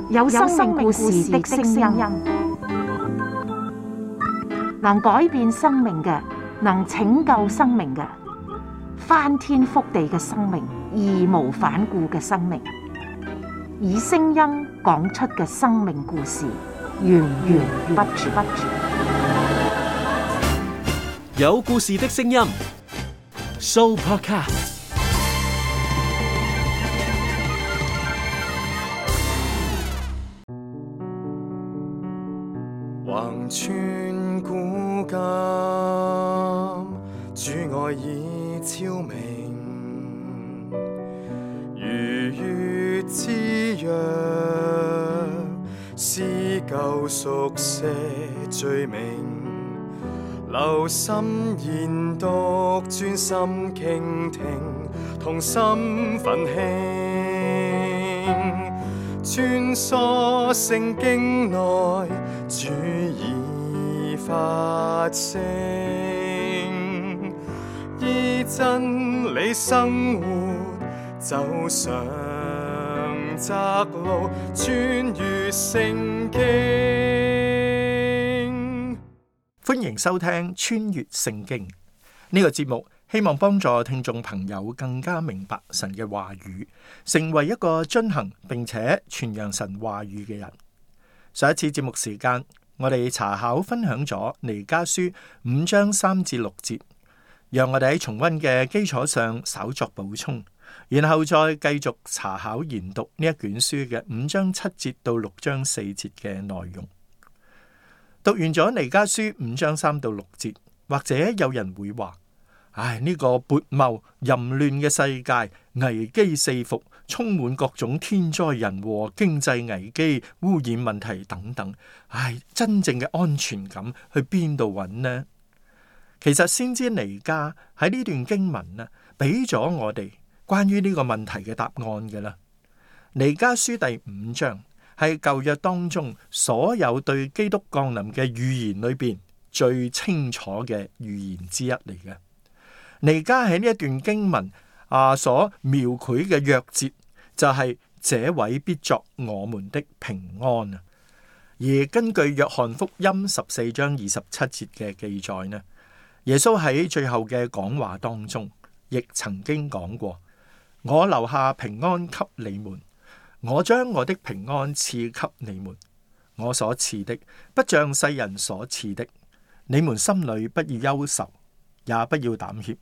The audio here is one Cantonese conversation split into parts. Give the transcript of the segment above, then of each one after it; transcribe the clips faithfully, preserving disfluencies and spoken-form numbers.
有生命故事的聲音，能改變生命嘅，能拯救生命嘅，翻天覆地嘅生命，義無反顧嘅生命，以聲音講出嘅生命故事，源源不絕。有故事的聲音 ，Sooopodcast。橫穿古今，主愛已超明，如月之約，撕舊熟寫罪名，留心研讀，專心傾聽，同心奮興，穿梭聖經內，主已發聲，依真理生活，走上窄路，穿越聖經。歡迎收聽《穿越聖經》呢個節目，希望幫助聽眾朋友更加明白神嘅話語，成為一個遵行並且傳揚神話語嘅人。上一次節目時間，我哋查考分享咗彌迦書五章三至六節，讓我哋喺重溫嘅基礎上稍作補充，然後再繼續查考研讀呢一卷書嘅五章七節到六章四節嘅內容。讀完咗彌迦書五章三到六節，或者有人會話：唉，呢個悖謬淫亂嘅世界，危機四伏，充滿各種天災人禍、經濟危機、污染問題等等。唉，真正嘅安全感去邊度揾呢？其實先知彌迦喺呢段經文啊，俾咗我哋關於呢個問題嘅答案嘅啦。彌迦書第五章係舊約當中所有對基督降臨嘅預言裏邊最清楚嘅預言之一嚟嘅。彌迦喺呢一段經文啊所描繪嘅約節就係、是、這位必作我們的平安啊。而根據約翰福音十四章二十七節嘅記載呢，耶穌喺最後嘅講話當中亦曾經講過：我留下平安給你們，我將我的平安賜給你們，我所賜的不像世人所賜的，你們心裏不要憂愁，也不要膽怯。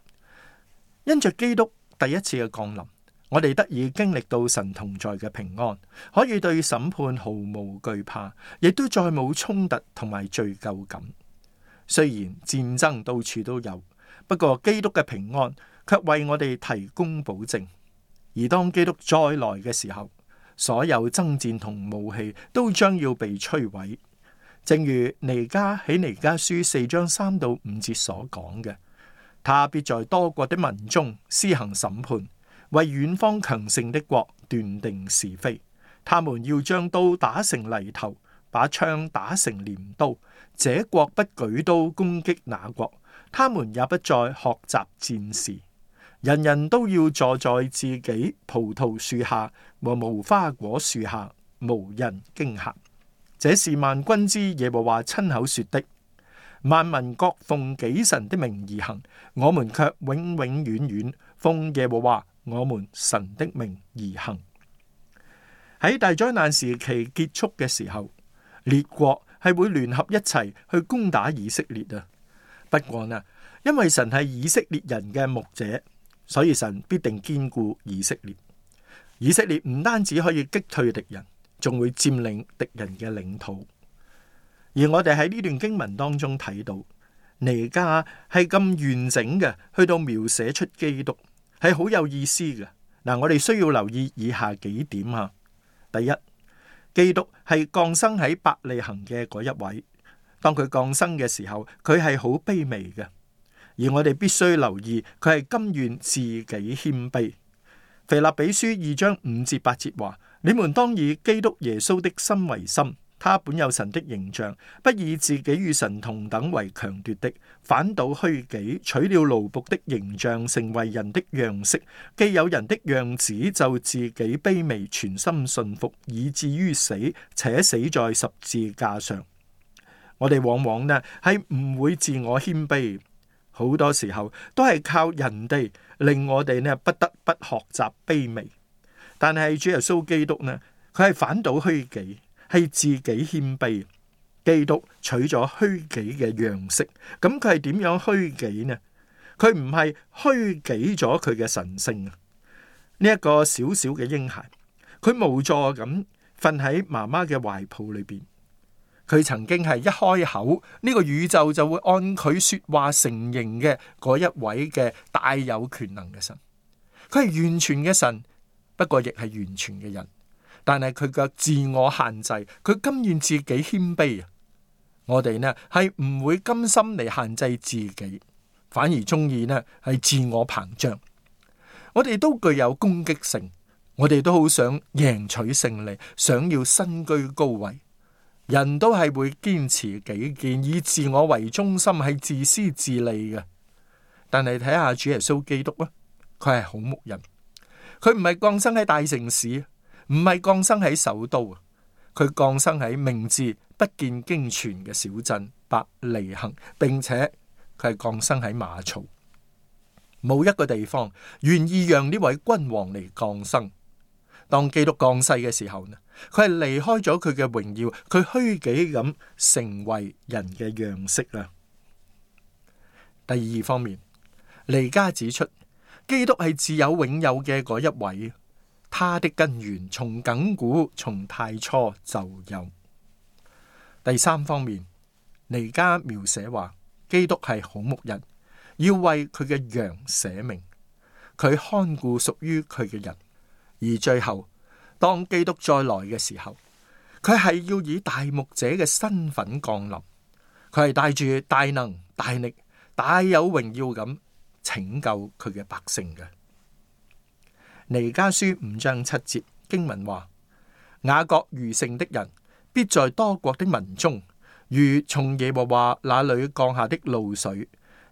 因着基督第一次嘅降臨，我哋得以經歷到神同在嘅平安，可以對審判毫無懼怕，亦都再冇衝突同埋罪疚感。雖然戰爭到處都有，不過基督嘅平安卻為我哋提供保證。而當基督再來嘅時候，所有爭戰同武器都將要被摧毀。正如彌迦喺彌迦書四章三到五節所講嘅，他必在多國的民中施行審判，為遠方強盛的國斷定是非。他們要將刀打成犁頭，把槍打成鐮刀。這國不舉刀攻擊那國，他們也不再學習戰事。人人都要坐在自己葡萄樹下和無花果樹下，無人驚嚇。這是萬軍之耶和華親口說的。萬民各奉己神的名而行，我們卻永永遠遠奉耶和華我們神的名而行。喺大災難時期結束嘅時候，列國係會聯合一齊去攻打以色列啊。不過呢，因為神係以色列人嘅牧者，所以神必定堅固以色列。以色列唔單止可以擊退敵人，仲會佔領敵人嘅領土。而我哋喺呢段經文當中睇到，彌迦係咁完整嘅，去到描寫出基督係好有意思嘅。嗱，我哋需要留意以下幾點啊。第一，基督係降生喺伯利恆嘅嗰一位。當佢降生嘅時候，佢係好卑微嘅，而我哋必須留意佢係甘願自己謙卑。腓立比書二章五至八節話：你們當以基督耶穌的心為心，他本有神的形象，不以自己與神同等為強奪的，反倒虛己，取了奴僕的形象，成為人的樣式。既有人的樣子，就自己卑微，全心信服，以至於死，且死在十字架上。我哋往往呢係唔會自我謙卑，好多時候都係靠人哋令我哋呢不得不學習卑微。但係主耶穌基督呢，佢係反倒虛己，係自己謙卑。基督取咗虛己嘅樣式，咁佢係點樣虛己呢？佢唔係虛己咗佢嘅神性啊！呢一個小小嘅嬰孩，佢無助咁瞓喺媽媽嘅懷抱裏邊。佢曾經係一開口，呢個宇宙就會按佢說話成形嘅嗰一位嘅大有權能嘅神。佢係完全嘅神，不過亦係完全嘅人。但係佢嘅自我限制，佢甘願自己謙卑啊！我哋呢係唔會甘心嚟限制自己，反而中意呢係自我膨脹。我哋都具有攻擊性，我哋都好想贏取勝利，想要身居高位。人都係會堅持己見，以自我為中心，係自私自利嘅。但係睇下主耶穌基督啊，佢係好牧人，佢唔係降生喺大城市，唔係降生喺首都啊，佢降生喺名字不見經傳嘅小鎮伯利恆，並且佢係降生喺馬槽。冇一個地方願意讓呢位君王嚟降生。當基督降世嘅時候呢，佢係離開咗佢嘅榮耀，佢虛己咁成為人嘅樣式啊。第二方面，彌迦指出基督係自有永有嘅嗰一位，他的根源從亙古從太初就有。第三方面，彌迦描寫話基督係好牧人，要為佢嘅羊捨命，佢看顧屬於佢嘅人。而最後，當基督再來嘅時候，佢係要以大牧者嘅身份降臨，佢係帶住大能大力大有榮耀咁拯救佢嘅百姓嘅。彌迦書五章七節經文話：雅各餘剩的人必在多國的民中，如從耶和華那裏降下的露水，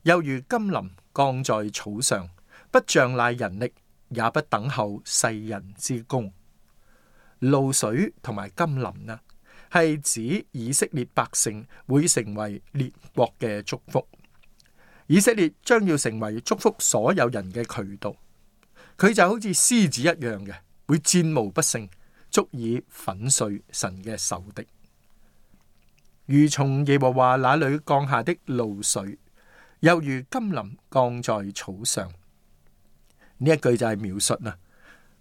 又如甘霖降在草上，不仗賴人力，也不等候世人之功。露水同埋甘霖呢，係指以色列百姓會成為列國嘅祝福。以色列將要成為祝福所有人嘅渠道。佢就好似獅子一樣嘅，會戰無不勝，足以粉碎神嘅仇敵。如從耶和華那裏降下的露水，又如甘霖降在草上。呢一句就係描述啦，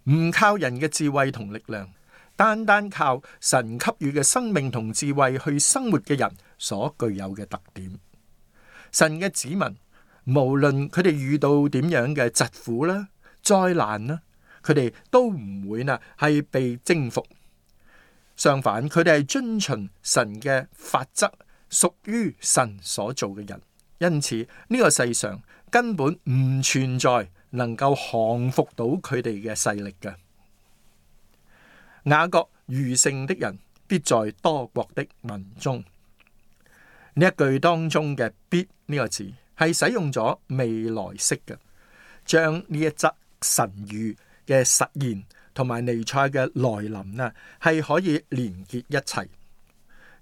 唔靠人嘅智慧同力量，單單靠神給予嘅生命同智慧去生活嘅人所具有嘅特點。神嘅子民，無論佢哋遇到點樣嘅疾苦啦、災難啦，佢哋都唔會呢係被征服。相反，佢哋係遵循神嘅法則，屬於神所做嘅人。因此呢個世上根本唔存在能夠降服到佢哋嘅勢力嘅。雅各餘剩的人必在多國的民中。呢一句當中嘅必呢個字係使用咗未來式嘅，將呢一則神諭嘅實現同埋彌賽嘅來臨呢係可以連結一齊。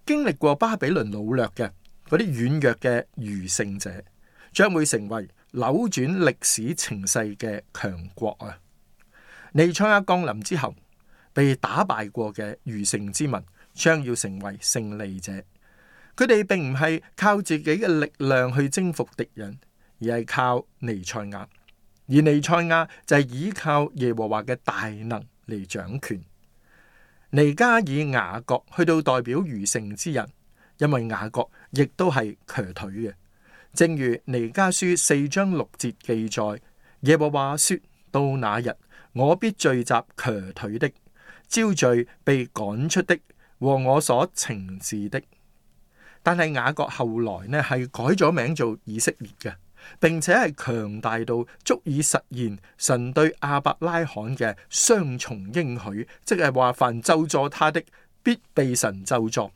經歷過巴比倫擄掠嘅嗰啲軟弱嘅餘剩者，將會成為扭轉歷史情勢嘅強國啊！彌賽亞降臨之後，被打敗過嘅餘剩之民將要成為勝利者。佢哋並唔係靠自己嘅力量去征服敵人，而係靠彌賽亞。而彌賽亞就係依靠耶和華嘅大能嚟掌權。彌迦以雅各去到代表餘剩之人，因為雅各亦都係瘸腿嘅。正如彌迦書四章六節記載，耶和華說：到那日，我必聚集瘸腿的，招聚被趕出的和我所懲治的。但係雅各後來呢係改咗名做以色列嘅，並且係強大到足以實現神對亞伯拉罕嘅雙重應許，即係話凡咒詛他的必被神咒詛；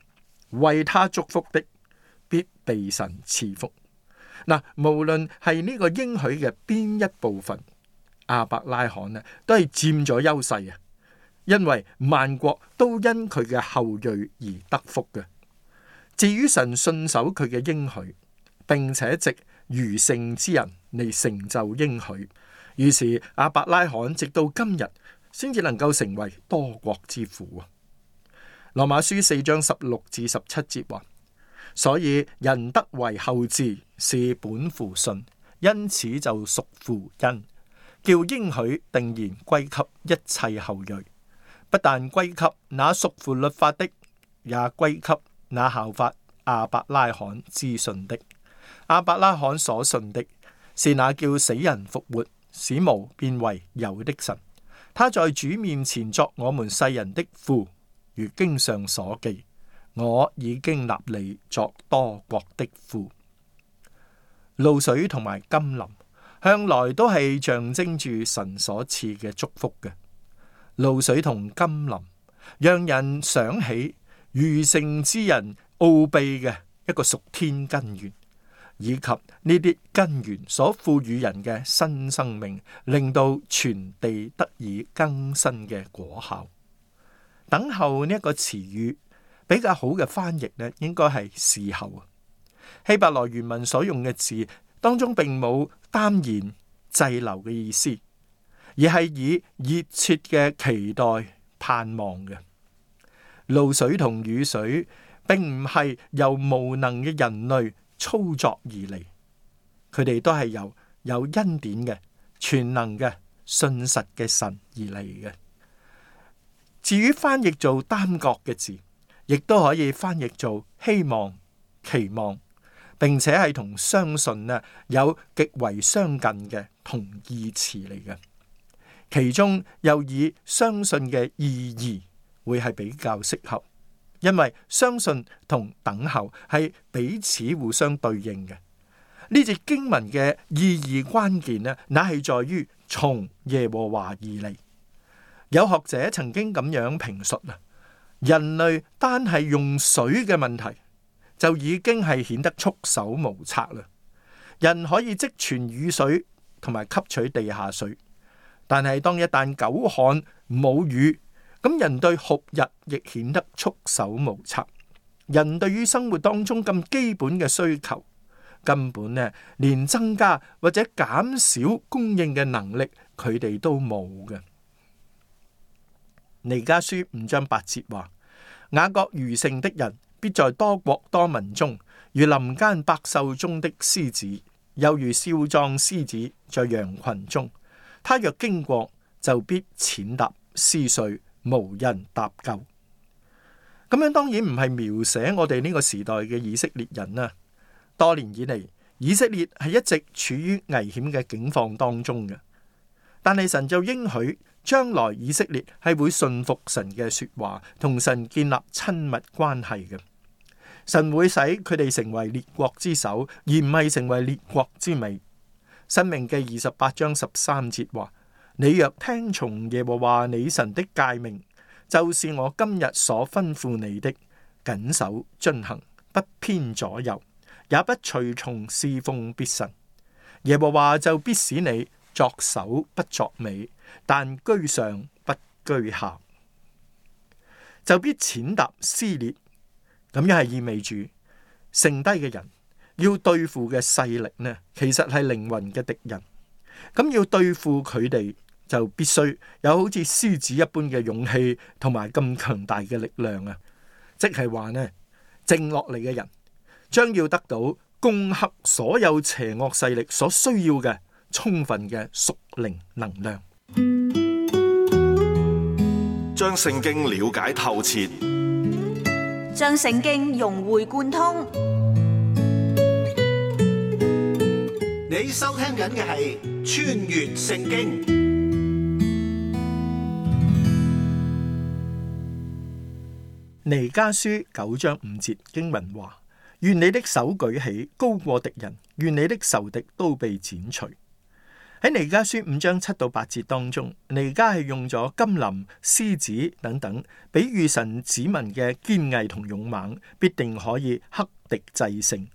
為他祝福的，必被神賜福。嗱，無論係呢個應許嘅邊一部分，亞伯拉罕呢都係佔咗優勢啊！因為萬國都因佢嘅後裔而得福嘅。至於神信守佢嘅應許，並且藉餘剩之人嚟成就應許，於是亞伯拉罕直到今日先至能夠成為多國之父啊！羅馬書四章十六至十七節話：所以人得為後嗣是本乎信，因此就屬乎恩，叫應許定然歸給一切後裔，不但歸給那屬乎律法的，也歸給那效法亞伯拉罕之信的。亞伯拉罕所信的是那叫死人復活、使無變為有的神。他在主面前作我們世人的父，如經上所記：我已經立你作多國的父。露水同埋甘霖向來都係象徵住神所賜嘅祝福嘅。露水同甘霖讓人想起餘剩之人奧秘嘅一個屬天根源，以及呢啲根源所賦予人嘅新生命，令到全地得以更新嘅果效。等候呢一個詞語比較好嘅翻譯呢，應該係侍候啊。希伯來原文所用嘅字當中並冇耽延滯留嘅意思，而係以熱切嘅期待盼望嘅。露水同雨水並唔係由無能嘅人類操作而嚟，佢哋都係由有恩典嘅全能嘅信實嘅神而嚟嘅。至於翻譯做耽擱嘅字，亦都可以翻譯做希望、期望，並且係同相信呢有極為相近嘅同義詞嚟嘅。其中又以相信嘅意義會係比較適合，因為相信同等候係彼此互相對應嘅。呢節經文嘅意義關鍵呢，乃係在於從耶和華而嚟。有學者曾經咁樣評述啊，人類單係用水嘅問題就已經係顯得束手無策啦。人可以積存雨水同埋吸取地下水，但係當一旦久旱冇雨，咁人對酷日亦顯得束手無策。人對於生活當中咁基本嘅需求，根本呢連增加或者減少供應嘅能力，佢哋都冇嘅。彌迦書五章八節話：雅各餘剩的人，必在多國多民中，如林間百獸中的獅子，又如少壯獅子在羊群中。他若經過，就必踐踏撕碎，無人搭救。咁樣當然唔係描寫我哋呢個時代嘅以色列人啦。多年以嚟，以色列係一直處於危險嘅境況當中嘅，但係神就應許將來以色列係會信服神嘅說話，同神建立親密關係嘅。神會使佢哋成為列國之首，而唔係成為列國之尾。申命記二十八章十三節話：你若聽從耶和華你神的誡命，就是我今日所吩咐你的，謹守遵行，不偏左右，也不隨從侍奉別神，耶和華就必使你作首不作尾，但居上不居下，就必踐踏撕裂。咁樣係意味住剩低嘅人要對付嘅勢力呢，其實係靈魂嘅敵人。咁要對付佢哋，就必須有好似獅子一般嘅勇氣同埋咁強大嘅力量啊！即係話呢，靜落嚟嘅人將要得到攻克所有邪惡勢力所需要嘅充分嘅屬靈能量。將聖經了解透徹，將聖經融會貫通。你收聽緊嘅係《穿越聖經》。彌迦書九章五節經文話：願你的手舉起，高過敵人；願你的仇敵都被剪除。喺彌迦書五章七到八節當中，彌迦係用咗金林、獅子等等，比喻神子民嘅堅毅同勇猛，必定可以克敵制勝，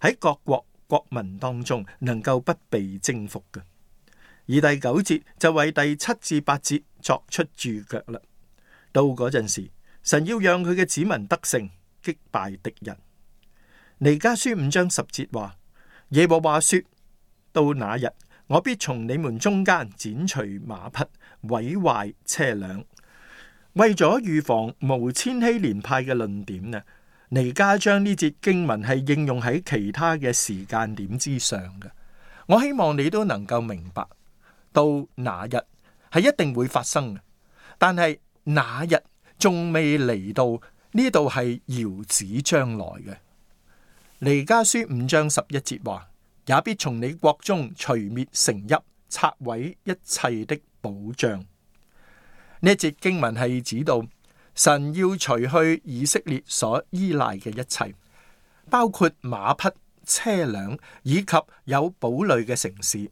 喺各國國民當中能夠不被征服嘅。而第九節就為第七至八節作出注腳啦。到嗰陣時，神要讓佢嘅子民得勝，擊敗敵人。彌迦書五章十節話：耶和華說，到那日，我必從你們中間剪除馬匹，毀壞車輛。為咗預防無千禧年派嘅論點呢，彌迦將呢節經文係應用喺其他嘅時間點之上嘅。我希望你都能夠明白，到那日係一定會發生嘅，但係那日仲未嚟到，呢度係遙指將來嘅。彌迦書五章十一節話：也必從你國中除滅城邑，拆毀一切的保障。呢一節經文係指到神要除去以色列所依賴嘅一切，包括馬匹、車輛以及有堡壘嘅城市。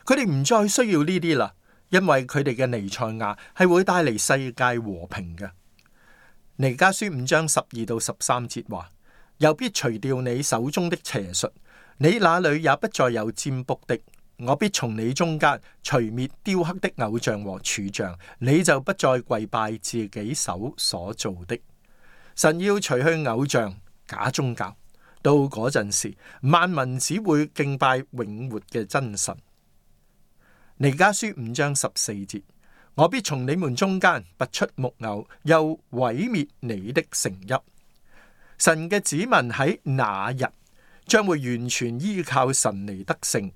佢哋唔再需要呢啲啦，因為佢哋嘅彌賽亞係會帶嚟世界和平嘅。彌迦書五章十二到十三節話：又必除掉你手中的邪術，你那裏也不再有占卜的。我必從你中間除滅雕刻的偶像和柱像，你就不再跪拜自己手所做的。神要除去偶像、假宗教，到嗰陣時，萬民只會敬拜永活嘅真神。彌迦書五章十四節：我必從你們中間拔出木偶，又毀滅你的城邑。神嘅子民喺那日將會完全依靠神嚟得勝，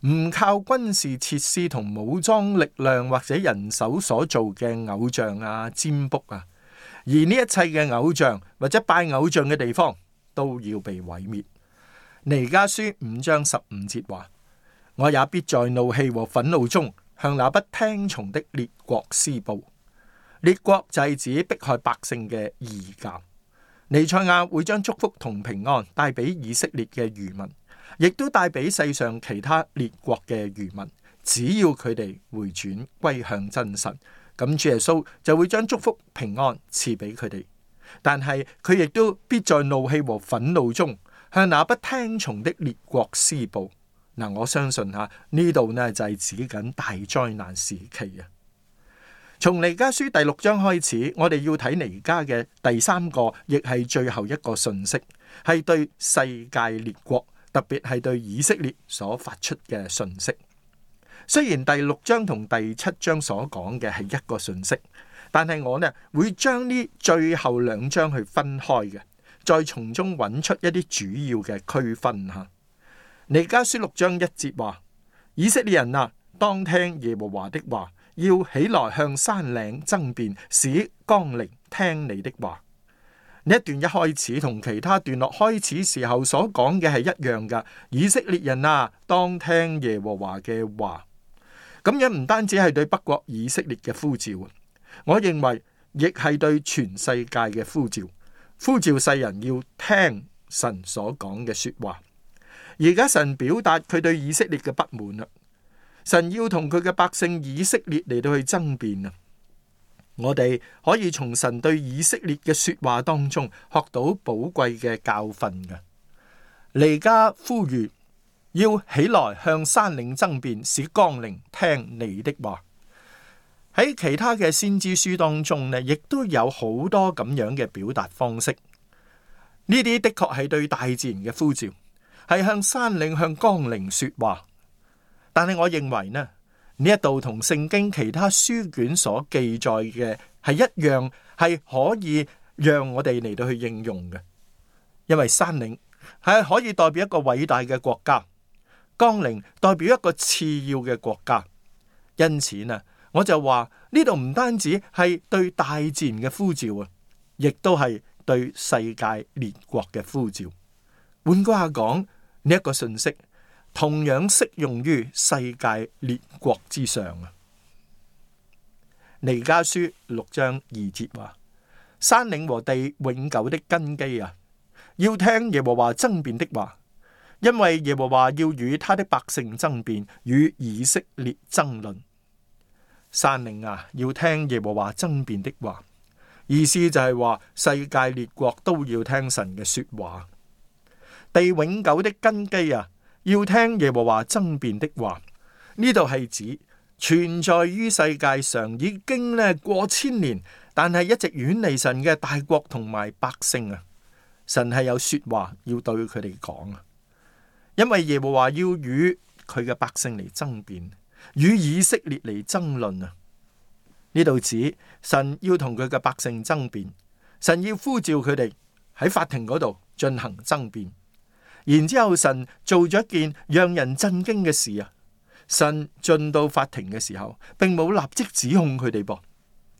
唔靠軍事設施同武裝力量或者人手所做嘅偶像啊、占卜啊，而呢一切嘅偶像或者拜偶像嘅地方都要被毀滅。彌迦書五章十五節話：我也必在怒氣和憤怒中向那不聽從的列國施報。列國就係指迫害百姓嘅異教。彌賽亞會將祝福同平安帶俾以色列嘅餘民，亦都帶俾世上其他列國嘅餘民。只要佢哋回轉歸向真神，咁主耶穌就會將祝福平安賜俾佢哋。但係佢亦都必在怒氣和憤怒中向那不聽從的列國施報。嗱，我相信吓呢度呢就係指緊大災難時期啊！從彌迦書第六章開始，我哋要睇彌迦嘅第三個，亦係最後一個訊息，係對世界列國，特別係對以色列所發出嘅訊息。雖然第六章同第七章所講嘅係一個訊息，但係我呢會將呢最後兩章去分開嘅，再從中揾出一啲主要嘅區分吓。彌迦書六章一節話：以色列人啊，當聽耶和華的話，要起來向山嶺爭辯，使岡陵聽你的話。呢一段一開始同其他段落開始時候所講嘅係一樣噶。以色列人啊，當聽耶和華嘅話。咁樣唔單止係對北國以色列嘅呼召，我認為亦係對全世界嘅呼召，呼召世人要聽神所講嘅說話。而家神表達佢對以色列嘅不滿啦，神要同佢嘅百姓以色列嚟到去爭辯啊！我哋可以從神對以色列嘅說話當中學到寶貴嘅教訓嘅。彌迦呼籲要起來向山嶺爭辯，使岡陵聽你的話。喺其他嘅先知書當中呢，亦都有好多咁樣嘅表達方式。呢啲的確係對大自然嘅呼召，係向山嶺、向岡陵說話。但係我認為呢，呢一度同聖經其他書卷所記載嘅係一樣，係可以讓我哋嚟到去應用嘅。因為山嶺係可以代表一個偉大嘅國家，岡陵代表一個次要嘅國家。因此呢，我就話呢度唔單止係對大自然嘅呼召啊，亦都係對世界列國嘅呼召。換句話講，呢一個信息同樣適用於世界列國之上啊。彌迦書六章二節話：山嶺和地永久的根基啊，要聽耶和華爭辯的話，因為耶和華要與他的百姓爭辯，與以色列爭論。山嶺啊，要聽耶和華爭辯的話，意思就係話世界列國都要聽神嘅說話。地永久的根基啊，要聽耶和華爭辯的話。呢度係指存在於世界上已經咧過千年，但係一直遠離神嘅大國同埋百姓啊，神係有說話要對佢哋講啊。因為耶和華要與佢嘅百姓嚟爭辯，與以色列嚟爭論啊。呢度指神要同佢嘅百姓爭辯，神要呼召佢哋喺法庭嗰度進行爭辯。然之後神做咗一件讓人震驚嘅事啊！神進到法庭嘅時候，並冇立即指控佢哋噃。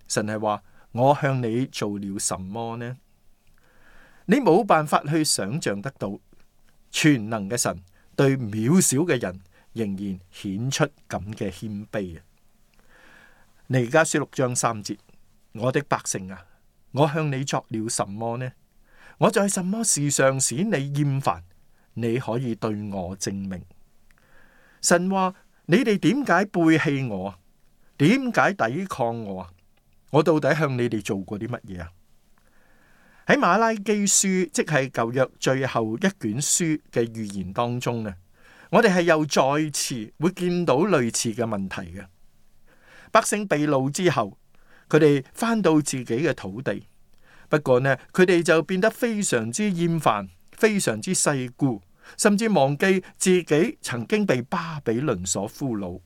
神係話：我向你做了什麼呢？你冇辦法去想象得到，全能嘅神對渺小嘅人仍然顯出咁嘅謙卑啊！彌迦書六章三節：我的百姓啊，我向你作了什麼呢？我在什麼事上使你厭煩？你可以對我證明。神話：你哋點解背棄我啊？點解抵抗我啊？我到底向你哋做過啲乜嘢啊？喺馬拉基書，即係舊約最後一卷書嘅預言當中呢，我哋係又再次會見到類似嘅問題嘅。百姓被擄之後，佢哋翻到自己嘅土地，不過呢，佢哋就變得非常之厭煩，非常之世故，甚至忘記自己曾經被巴比倫所俘虜。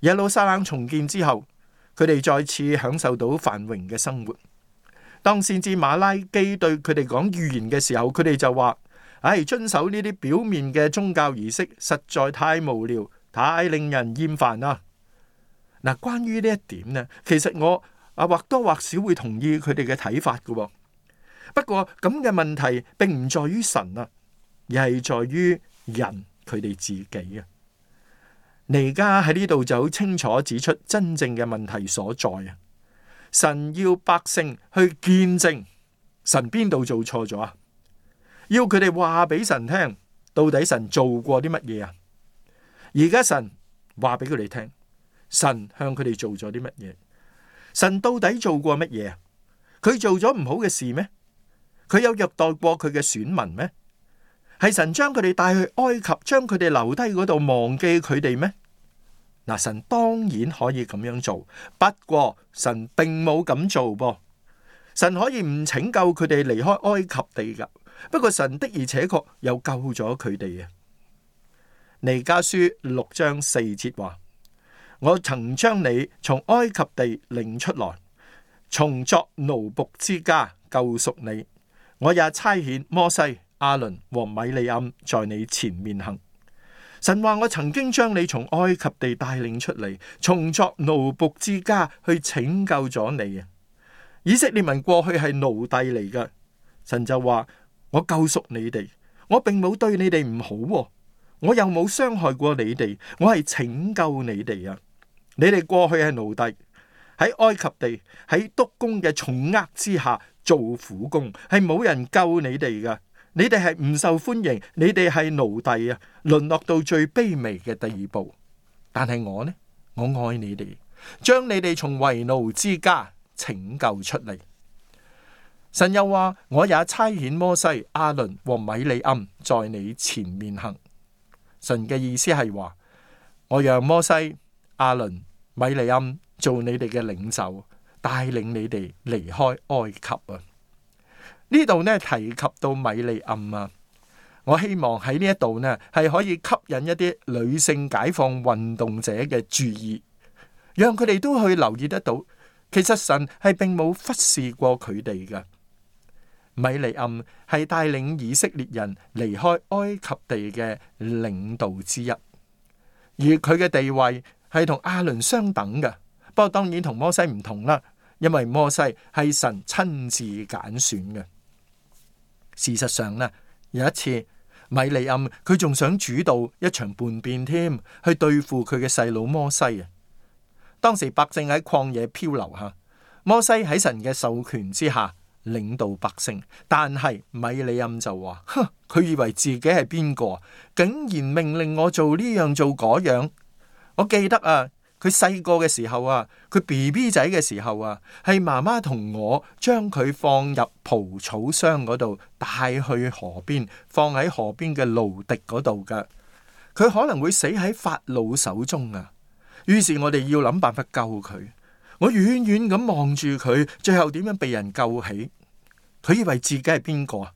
耶路撒冷重建之後，佢哋再次享受到繁榮嘅生活。當先知馬拉基對佢哋講預言嘅時候，佢哋就話：唉，遵守呢啲表面嘅宗教儀式實在太無聊，太令人厭煩啦。嗱，關於呢一點呢，其實我啊或多或少會同意佢哋嘅睇法嘅。不過咁嘅問題並唔在於神啊，而係在於人佢哋自己啊。彌迦喺呢度就好清楚指出真正嘅問題所在啊。神要百姓去見證神邊度做錯咗啊，要佢哋話俾神聽，到底神做過啲乜嘢啊？而家神話俾佢哋聽，神向佢哋做咗啲乜嘢？神到底做過乜嘢啊？佢做咗唔好嘅事咩？佢有虐待過佢嘅選民咩？係神將佢哋帶去埃及，將佢哋留低嗰度，忘記佢哋咩？嗱，神當然可以咁樣做，不過神並冇咁做噃。神可以唔拯救佢哋離開埃及地噶，不過神的而且確又救咗佢哋啊。彌迦書六章四節話：我曾將你從埃及地領出來，從作奴僕之家救贖你。我也差遣摩西、亞倫和米利暗在你前面行。神話：我曾經將你從埃及地帶領出嚟，從作奴僕之家去拯救咗你啊！以色列民過去係奴隸嚟噶，神就話：我救贖你哋，我並冇對你哋唔好，我又冇傷害過你哋，我係拯救你哋啊！你哋過去係奴隸，喺埃及地喺督工嘅重壓之下做苦工，係冇人救你哋噶。你哋係唔受歡迎，你哋係奴隸啊，淪落到最卑微嘅地步。但係我呢，我愛你哋，將你哋從為奴之家拯救出嚟。神又話：我也差遣摩西、亞倫和米利暗在你前面行。神嘅意思係話：我讓摩西、亞倫、米利暗做你哋嘅領袖，帶領你哋離開埃及啊。呢度呢提及到米利暗啊，我希望喺呢一度呢係可以吸引一啲女性解放運動者嘅注意，讓佢哋都去留意得到，其實神係並冇忽視過佢哋嘅。米利暗係帶領以色列人離開埃及地嘅領導之一，而佢嘅地位係同亞倫相等嘅，不過當然同摩西唔同啦，因為摩西係神親自揀選嘅。事實上呢，有一次米利暗佢仲想主導一場叛變添，去對付佢嘅細佬摩西啊。當時百姓喺曠野漂流下，摩西喺神嘅授權之下領導百姓。但係米利暗就話：哼，佢以為自己係邊個，竟然命令我做呢樣做嗰樣。我記得啊，佢細個嘅時候啊，佢 B B 仔嘅時候啊，係媽媽同我將佢放入蒲草箱嗰度，帶去河邊，放喺河邊嘅蘆荻嗰度㗎。佢可能會死喺法老手中啊！於是我哋要諗辦法救佢。我遠遠咁望住佢，最後點樣被人救起？佢以為自己係邊個啊？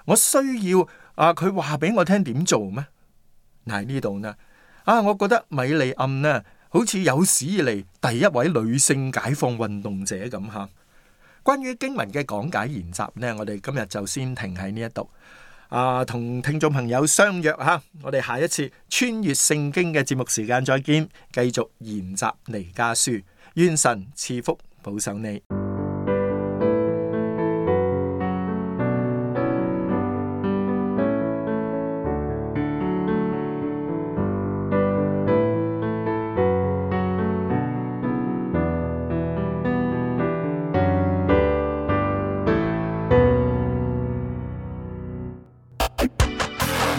我需要啊佢話俾我聽點做咩？嗱，喺呢度呢啊，我覺得米利暗呢，好似有史以嚟第一位女性解放運動者咁吓。關於經文嘅講解研習呢，我哋今日就先停喺呢一度。啊，同聽眾朋友相約吓，我哋下一次穿越聖經嘅節目時間再見，繼續研習彌迦書。願神賜福保守你。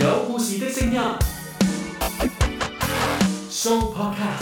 有故事的聲音，Show Podcast。